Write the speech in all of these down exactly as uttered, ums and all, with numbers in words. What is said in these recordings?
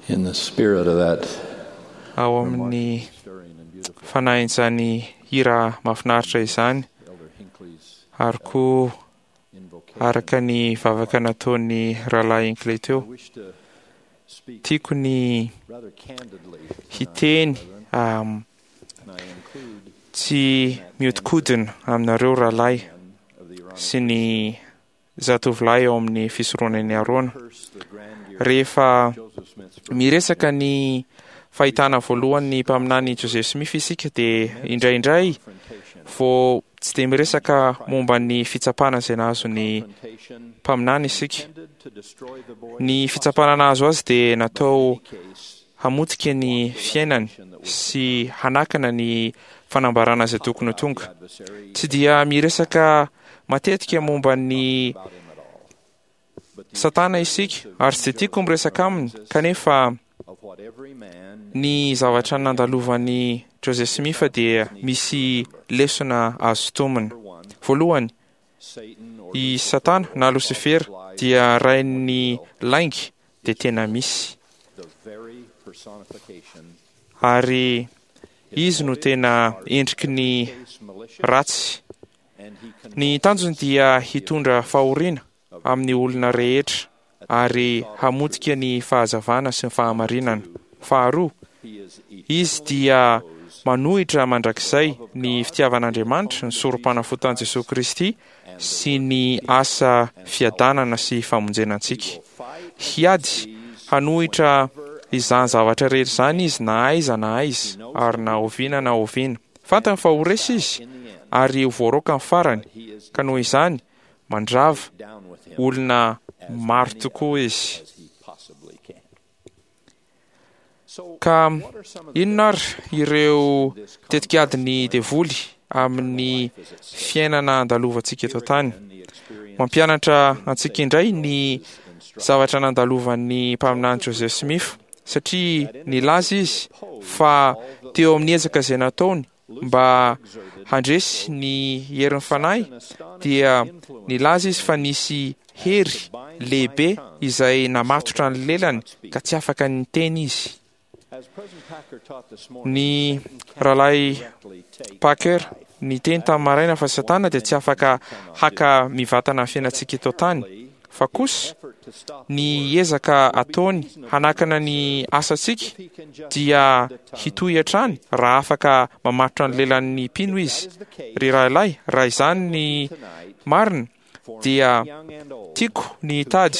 In the spirit of that Ao amin'ny stirring and beautiful fanahin'izany hira mahafinaritra izany, Elder Hinckley's ary koa invocation, araka ny vavaka nataon'ny rahalahy Hinckley I teo, wish to speak tiako ny rather candidly tonight, hiteny brethren, um, and I include tsy mihodinkodina aminareo rahalahy men of the Aaronic sy ny zatovolahy ao amin'ny fisoronan'i Arona. curse the grandeur Rehefa of Joseph Smith's first miresaka ny fahitana voalohany ny mpaminany Joseph Smith isika dia indraindray confrontation. vao tsy dia miresaka momba ny fitsapana izay nahazo ny Confrontation mpaminany isika. intended to destroy the boy Ny fitsapana nahazo azy dia natao in any case hamotika ny fiainany sy hanakana ny fanambarana izay tokony ho tonga. the adversary Tsy dia miresaka matetika momba ny about him at all. But the Satana isika ary tsy dia tiako miresaka aminy, kanefa of what every man ny zavatra nandalovan'i Joseph Smith dia misy lesona azo tomina. number one, Voalohany, Satan or i Satana na Losifera dia rain'ny lainga dia tena misy, the very personification ary izy no tena endriky ny case malicious ratsy. and he Ny tanjony dia hitondra fahoriana amin'ny olona rehetra ary hamotika ny fahazavana sy ny fahamarinana. Faharoa, he is izy dia manohitra mandrakizay ny fitiavan'Andriamanitra, ny sorom-panafotan'i Jesosy Kristy sy ny asa fiadanana sy famonjena antsika. Hiady hanohitra izany zavatra rehetra izany izy na aiza na aiza ary na oviana na oviana. Fantany fa ho resy izy ary ho voaroaka ny farany, he is ka noho izany mandrava down with him olona maro tokoa izy. as he possibly can. So Ka what are some of the inona ary ireo tetikadin'ny devoly amin'ny fiainana andalovantsika eto an-tany? and the experience Mampianatra antsika indray ny zavatra nandalovan'ny mpaminany Joseph Smith, satria nilaza izy fa teo amin'ny ezaka izay nataony mba handresy ny herin'ny fanahy dia nilaza izy fa nisy hery lehibe izay namatotra ny lelany ka tsy afaka niteny izy. as President Packer taught this morning, Ny rahalahy directly take Packer niteny tamin'ny maraina fa Satana dia tsy afaka haka mivantana ny fiainantsika eto an-tany, fa kosa effort to stop ny ezaka ataony hanakana ny asantsika he can just dia hitohy hatrany raha afaka mamatotra ny lelan'ny mpino izy. Ry rahalahy, raha izany ny tonight marina for dia young and old tiako ny hitady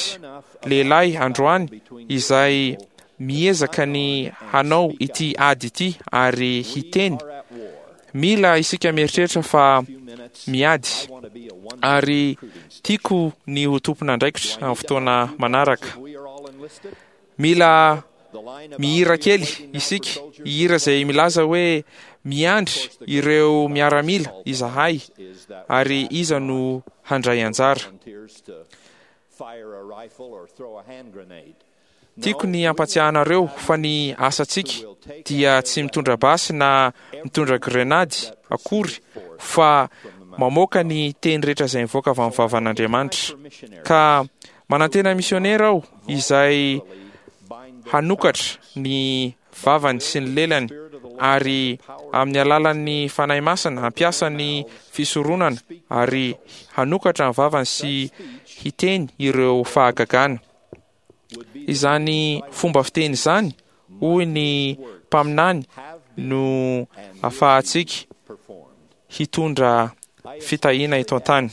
lehilahy androany izay miezaka ny hanao ity ady ity ary hiteny. are at war. Mila isika mieritreritra fa Few minutes miady I want to be a one ary tiako ny ho tompon'andraikitra amin'ny fotoana manaraka. we are all enlisted. Mila The line about mihira we are kely waiting now for isika, soldiers hihira izay milaza hoe miandry ireo miaramila izahay is that ary iza no handray anjara. volunteers to fire a rifle or throw a hand grenade. Tiako ny hampatsiahanareo fa ny asantsika dia tsy mitondra basy na mitondra grenady akory fa mamoaka ny teny rehetra izay mivoaka avy amin'ny vavan'Andriamanitra. Ka manantena misionera aho izay hanokatra ny vavany sy ny lelany ary amin'ny alalan'ny fanahy masina hampiasa ny fisoronana ary hanokatra ny vavany sy hiteny ireo fahagagana. Izany fomba fiteny izany, hoy ny mpaminany, no ahafahantsika Performed. hitondra fitahiana eto an-tany.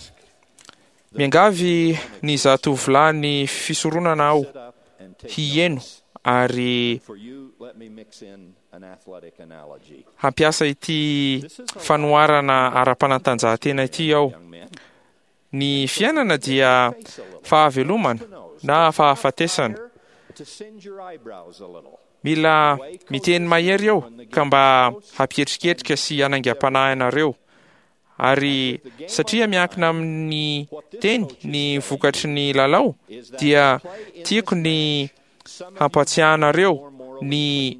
Miangavy ny zatovolahy ny fisoronana aho Sit up and take hieno notes. ary For you, let me mix in an athletic analogy. hampiasa ity fanoharana ara-panatanjahantena ity aho. Young men, Ny fiainana dia fahavelomana na fahafatesana. to singe your eyebrows a little. Mila miteny mahery eo ka mba hampietriketrika sy hanaingam-panahy anareo. Ary satria miankina amin'ny teny ny vokatry ny lalao dia tiako ny hampatsiahanareo ny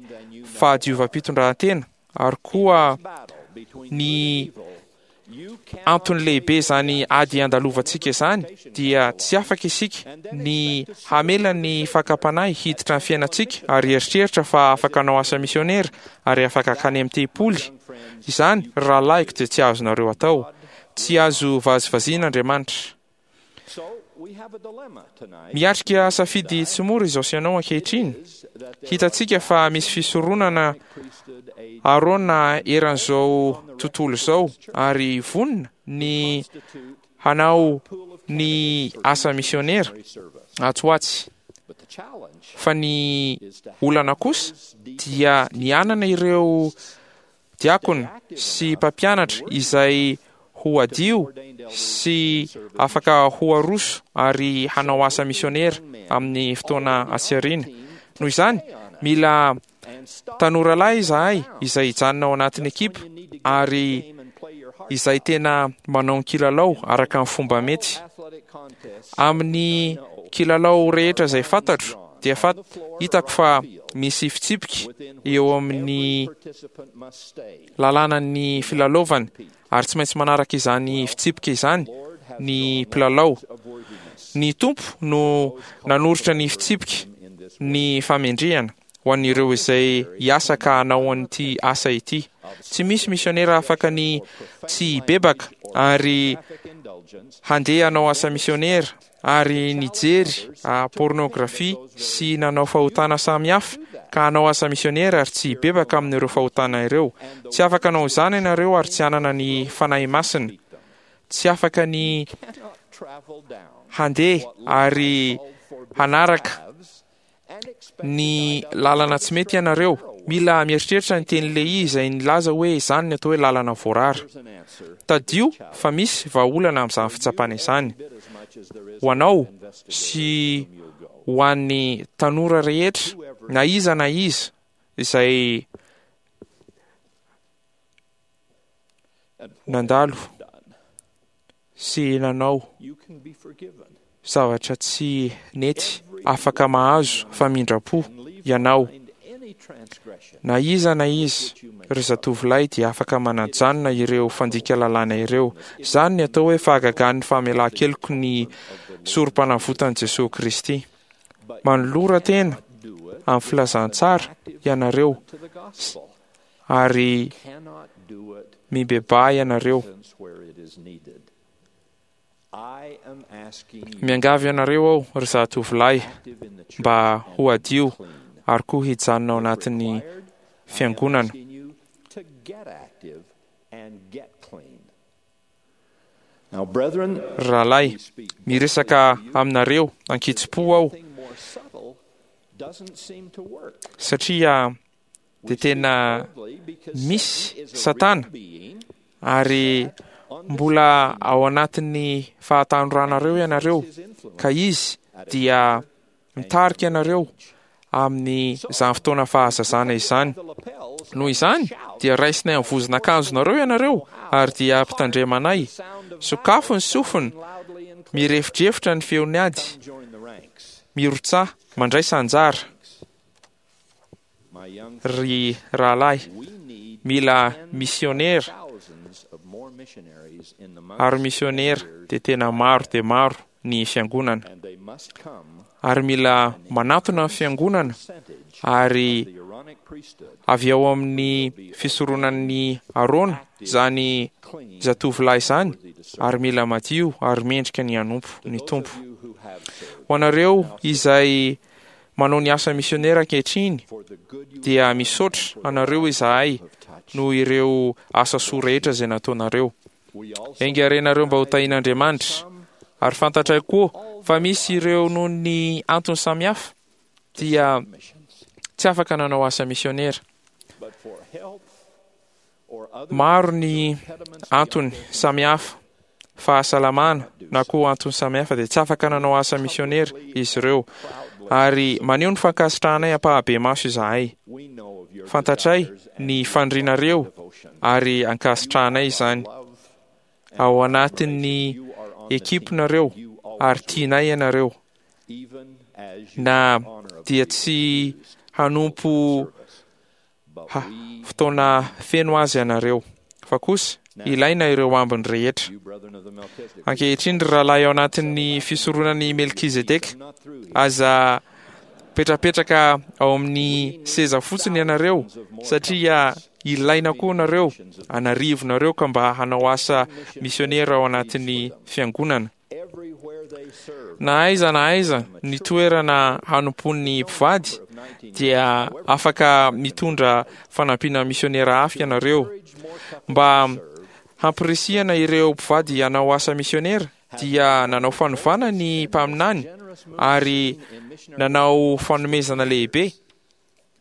fahadiovam-pitondrantena ary koa Battle between ny good and evil antony lehibe izany ady andalovantsika izany, dia tsy afaka isika ny hamela ny fakam-panahy hiditra ny fiainantsika ary eritreritra fa afaka hanao asa misionera ary afaka hankany amin'ny tempoly. Izany, rahalahiko, dia tsy azonareo atao. Tsy azo vazivaziana Andriamanitra. Miatrika safidy tsy mora izao sy ianao ankehitriny. Hitantsika fa misy fisoronana Arona eran'izao tontolo izao ary vonona ny hanao ny asa misionera atsy ho atsy. Fa ny olana kosa dia ny hanana ireo diakona sy mpampianatra izay ho adio sy afaka ho aroso ary hanao asa misionera amin'ny fotoana atsy aoriana. Noho izany, mila tanora lahy izahay izay hijanona ao anatin'ny ekipa ary izay tena manao ny kilalao araka ny fomba mety. Amin'ny kilalao rehetra izay fantatro dia fat-, hitako fa misy fitsipika eo amin'ny lalànan'ny filalaovana ary tsy maintsy manaraka izany fitsipika izany ny mpilalao. Ny Tompo no nanoritra ny fitsipika ny famendrehana ho an'ireo izay hiasa ka hanao an'ity asa ity. Tsy misy misionera afaka ny tsy hibebaka ary handeha hanao asa misionera ary nijery pornografia sy nanao fahotana samihafa ka hanao asa misionera ary tsy hibebaka amin'ireo fahotana ireo. Tsy afaka hanao izany ianareo ary tsy hanana ny Fanahy Masina. Tsy afaka ny handeha ary hanaraka ny lalana tsy mety ianareo. Mila mieritreritra ny teny Lehi izay nilaza hoe izany ny atao hoe lalana voarara. Tadio fa misy vahaolana amin'izany fitsapana izany. Ho anao sy ho an'ny tanora rehetra, na iza na iza izay nandalo sy nanao zavatra tsy nety, afaka mahazo famindram-po ianao. Na iza na iza, ry zatovolahy, dia afaka manajanona ireo fandika lalàna ireo. Izany ny atao hoe fahagagan'ny famelan-keloky ny sorom-panavotan'i Jesoa Kristy. Manolora tena amin'ny filazantsara ianareo ary mibebaha ianareo. Miangavy anareo aho, ry zatovolahy, mba ho adio ary koa hijanona ao anatin'ny fiangonana. Rahalahy, miresaka aminareo ankitsipo aho satria dia tena misy Satana ary mbola ao anatin'ny fahatanoranareo ianareo, ka izy dia mitarika anareo amin'ny izany fotoana fahazazana izany. Noho izany dia raisinay amin'ny vozon'akanjonareo ianareo ary dia ampitandremanay. Sokafo ny sofina, mirefodrefotra ny feon'ny ady, mirotsaha, mandraisa anjara. Ry rahalahy, mila misionera ary misionera dia tena maro dia maro ny fiangonana. Ary mila manatona ny fiangonana ary avy ao amin'ny fisoronan'ny Arona izany zatovolahy izany ary mila madio ary mendrika ny hanompo ny Tompo. Ho anareo izay manao ny asa misionera ankehitriny dia misaotra anareo izahay noho ireo asa soa rehetra izay nataonareo. Enga renareo mba ho tahian'Andriamanitra. Ary fantatray koa fa misy ireo noho ny antony samihafa dia tsy afaka nanao asa misionera. Maro ny antony samihafa, fahasalamana na koa antony samihafa dia tsy afaka nanao asa misionera izy ireo. Ary maneho ny fankasitrahanay ampahabemaso izahay. Fantatray ny fanirianareo ary ankasitrahanay izany. Ao anatin'ny ekipinareo ary tianay ianareo. Na dia tsy hanompo ha, fotoana feno azy ianareo, fa kosa Ilaina ireo ambiny rehetra. Ankehitriny, ry rahalahy ao anatin'ny fisoronan'i Melkizedeka, aza petrapetraka ao amin'ny seza fotsiny ianareo, satria ilaina koa nareo, anarivonareo ka mba hanao asa misionera ao anatin'ny fiangonana. Na aiza na aiza ny toerana hanompoan'ny mpivady dia afaka mitondra fanampiana misionera hafa ianareo. Mba hampirisihana ireo mpivady hanao asa misionera dia nanao fanovana ny mpaminany ary nanao fanomezana lehibe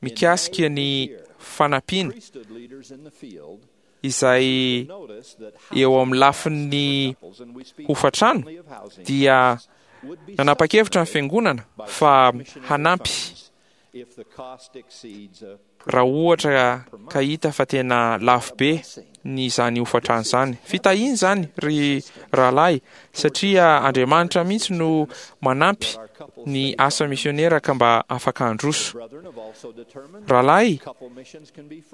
mikasika ny fanampiana izay eo amin'ny lafin'ny hofatrano. Dia nanapa-kevitra ny fiangonana fa hanampy raha ohatra ka hita fa tena lafo be ny izany hofatrano izany. Fitahiana izany, ry rahalahy, satria Andriamanitra mihitsy no manampy ny asa misionera ka mba afaka handroso. Rahalahy,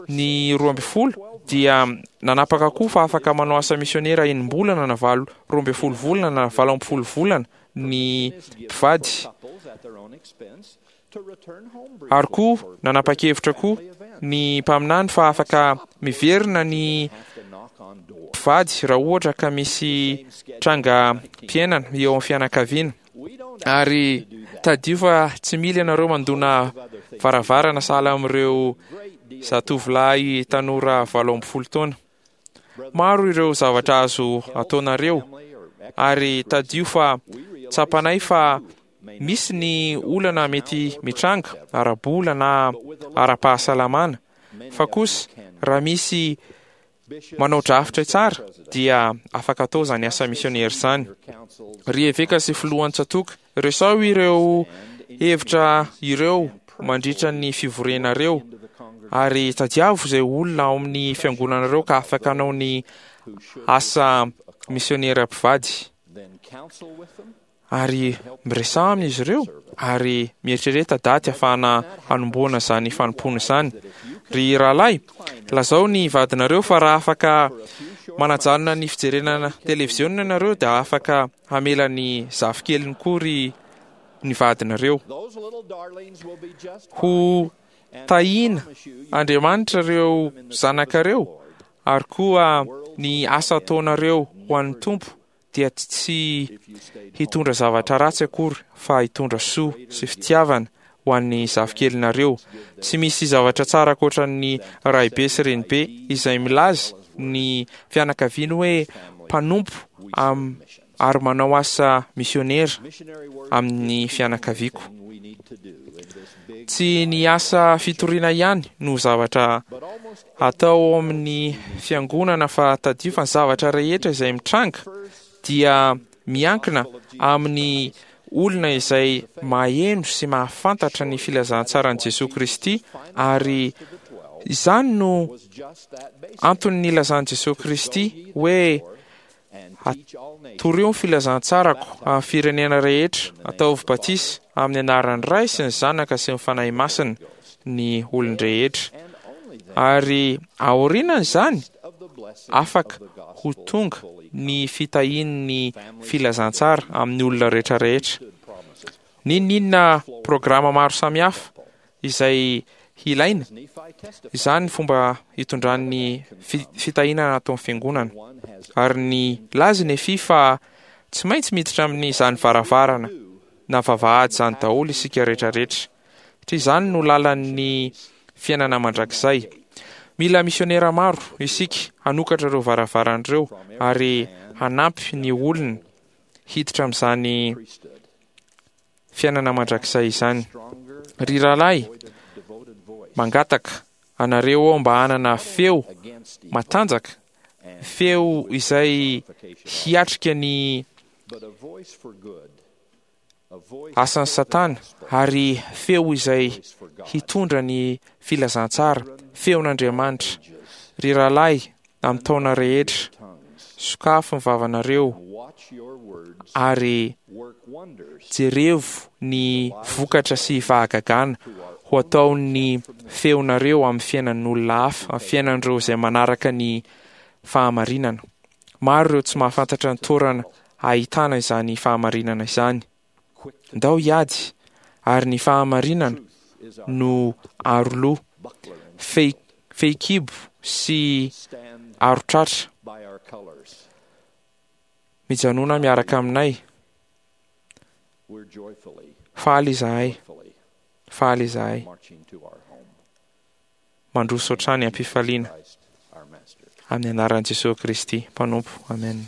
ny roa ambin'ny folo dia nanapaka koa fa afaka manao asa misionera enim-bolana na valo roa ambin'ny folo volana na valo ambin'ny folo volana ny mpivady. Ary koa nanapa-kevitra koa ny mpaminany fa afaka miverina ny mpivady raha ohatra ka misy trangam-piainana eo amin'ny fianakaviana. Ary tadidio fa tsy mila ianareo mandona varavarana sahala amin'ireo zatovolahy tanora valo ambin'ny folo taona. Maro ireo zavatra azo ataonareo, ary tadidio fa tsapanay fa misy ny olana mety mitranga ara-bola na ara-pahasalamana, fa kosa raha misy manao drafitra tsara dia afaka atao izany asa misionera izany. Ry eveka sy filohan'ny tsatòka, resaho ireo hevitra ireo mandritra ny fivorianareo, ary tadiavo izay olona ao amin'ny fiangonanareo ka afaka hanao ny asa misionera mpivady. Ary miresaha amin'izy ireo, ary mieritrereta daty ahafahana hanombohana izany fanompoana izany. Ry rahalahy, lazao ny vadinareo fa raha afaka manajanona ny fijerena televiziona ianareo dia afaka hamela ny zafikeliny koa ry ny vadinareo. Ho tahiana Andriamanitra ireo zanakareo, ary koa ny asa ataonareo ho an'ny Tompo dia tsy hitondra zavatra ratsy akory fa hitondra soa sy fitiavana ho an'ny zafikelinareo. Tsy misy zavatra tsara ankoatra ny raibe sy renibe izay milaza ny fianakaviany hoe mpanompo am-, ary manao asa misionera amin'ny fianakaviako. Tsy ny asa fitoriana ihany no zavatra atao amin'ny fiangonana, fa tadidio fa ny zavatra rehetra izay mitranga dia miankina amin'ny olona izay maheno sy mahafantatra ny filazantsaran'i Jesoa Kristy, ary izany no antony nilazan'i Jesoa Kristy hoe torio ny filazantsarako amin'ny firenena rehetra, ataovy batisa amin'ny anaran'ny Ray sy ny Zanaka sy ny Fanahy Masina ny olon-drehetra. Ary aorianan'izany afaka ho tonga ny fitahian'ny filazantsara amin'ny olona rehetra rehetra. N'inon'inona programa maro samihafa izay hilaina, izany fomba hitondran'ny fi-, fitahiana ataon'ny fiangonana. Ary ny laza Nefy fa tsy maintsy miditra amin'izany varavarana na vavahady izany daholo isika rehetrarehetra, satria izany no lalan'ny fiainana mandrakizay. Mila misionera maro isika hanokatra ireo varavarana ireo ary hanampy ny olona hiditra amin'izany fiainana mandrakizay izany. Ry rahalahy, mangataka anareo aho mba hanana feo matanjaka, feo izay hiatrika ny asan'ny Satana, ary feo izay hitondra ny filazantsara, feon'Andriamanitra. Ry rahalahy, amin'ny taona rehetra, sokafy ny vavanareo ary jerevo ny vokatra sy fahagagana ho ataon'ny feonareo amin'ny fiainan'olona hafa, amin'ny fiainan'ireo izay manaraka ny fahamarinana. Maro ireo tsy mahafantatra ny toerana ahitana izany fahamarinana izany. Ndao hiady, ary ny fahamarinana no aroloha, fehi- fehikibo sy arotratra. Mijanona miaraka aminay. Faly izahay, faly izahay. Mandroso hatrany am-pifaliana. Amin'ny anaran'i Jesosy Kristy Mpanompo. Amen.